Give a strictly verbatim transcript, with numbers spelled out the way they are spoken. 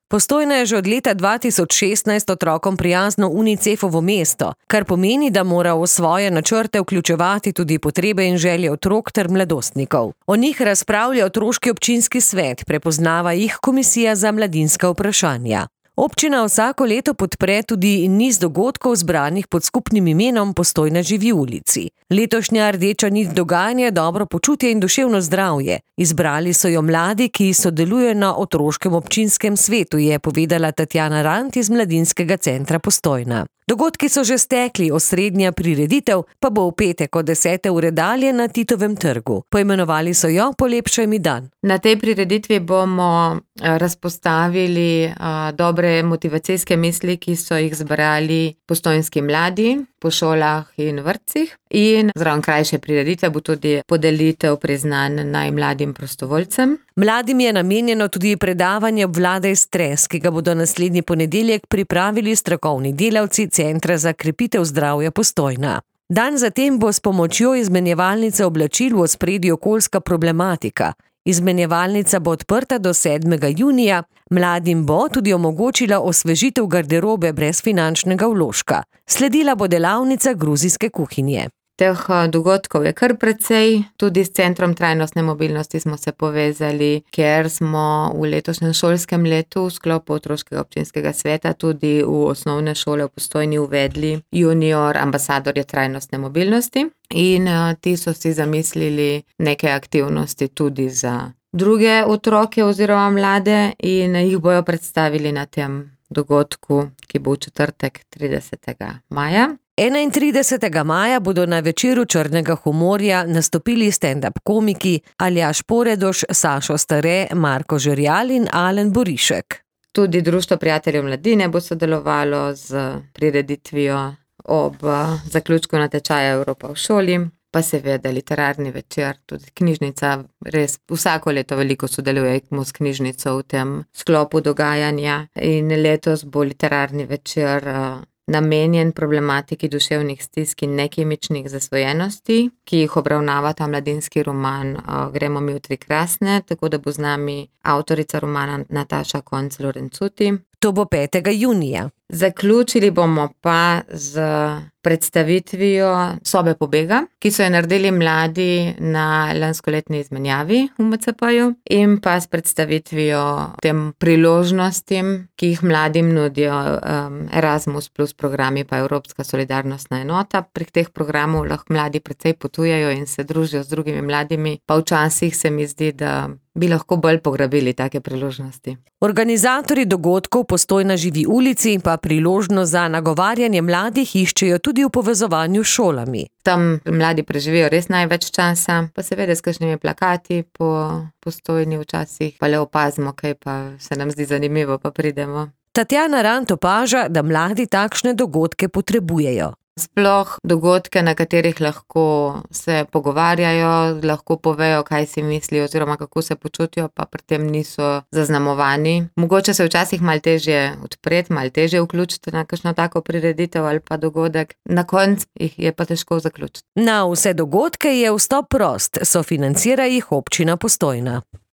Postojna je že od leta dva tisoč šestnajst otrokom prijazno Unicefovo mesto, kar pomeni, da mora v svoje načrte vključevati tudi potrebe in želje otrok ter mladostnikov. O njih razpravlja otroški občinski svet, prepoznava jih Komisija za mladinska vprašanja. Občina vsako leto podpre tudi niz dogodkov zbranih pod skupnim imenom Postojna živi v ulici. Letošnja rdeča nit dogajanja je dobro počutje in duševno zdravje. Izbrali so jo mladi, ki sodelujejo na otroškem občinskem svetu, je povedala Tatjana Rant iz Mladinskega centra Postojna. Dogodki so že stekli, osrednja prireditev pa bo v petek od desete ure dalje na Titovem trgu. Poimenovali so jo Polepšaj mi dan. Na tej prireditvi bomo razpostavili dobre motivacijske misli, ki so jih zbrali postojnski mladi po šolah in vrtcih. In zraven krajše prireditve bo tudi podelitev priznanj najmladim prostovoljcem. Mladim je namenjeno tudi predavanje Obvladaj stres, ki ga bodo naslednji ponedeljek pripravili strokovni delavci Centra za krepitev zdravja Postojna. Dan zatem bo s pomočjo izmenjevalnice oblačil v ospredju okoljska problematika. Izmenjevalnica bo odprta do sedmega junija, mladim bo tudi omogočila osvežitev garderobe brez finančnega vložka. Sledila bo delavnica gruzijske kuhinje. Teh dogodkov je kar precej, tudi s Centrom trajnostne mobilnosti smo se povezali, ker smo v letošnjem šolskem letu v sklopu otroškega občinskega sveta tudi v osnovne šole v Postojni uvedli junior ambasadorje trajnostne mobilnosti in ti so si zamislili neke aktivnosti tudi za druge otroke oziroma mlade in jih bojo predstavili na tem dogodku, ki bo v četrtek tridesetega maja. enaintridesetega maja bodo na večeru črnega humorja nastopili stand-up komiki Aljaž Poredoš, Sašo Stare, Marko Žerjal in Alen Borišek. Tudi Društvo prijateljev mladine bo sodelovalo z prireditvijo ob zaključku natečaja Evropa v šoli, pa seveda literarni večer, tudi knjižnica, res vsako leto veliko sodelujemo s knjižnico v tem sklopu dogajanja in letos bo literarni večer namenjen problematiki duševnih stisk in nekemičnih zasvojenosti, ki jih obravnava ta mladinski roman Gremo mi v tri krasne, tako da bo z nami avtorica romana Nataša Konc Lorencuti. To bo petega junija. Zaključili bomo pa z predstavitvijo Sobe pobega, ki so jo naredili mladi na lanskoletni izmenjavi v M C P-ju in pa s predstavitvijo tem priložnostim, ki jih mladim nudijo um, Erasmus plus programi pa Evropska solidarnostna enota. Prek teh programov lahko mladi precej potujejo in se družijo z drugimi mladimi, pa včasih se mi zdi, da bi lahko bolj pograbili take priložnosti. Organizatorji dogodkov Postojna živi v ulici pa priložnost za nagovarjanje mladih iščejo tudi v povezovanju s šolami. Tam mladi preživijo res največ časa, pa seveda s kakšnimi plakati po Postojni včasih, pa le opazimo, kaj pa se nam zdi zanimivo, pa pridemo. Tatjana Rant opaža, da mladi takšne dogodke potrebujejo. Sploh dogodke, na katerih lahko se pogovarjajo, lahko povejo, kaj si mislijo oziroma kako se počutijo, pa pri tem niso zaznamovani. Mogoče se včasih malo težje odpreti, malo težje vključiti na kakšno tako prireditev ali pa dogodek. Na koncu jih je pa težko zaključiti. Na vse dogodke je vstop prost, sofinancira jih občina Postojna.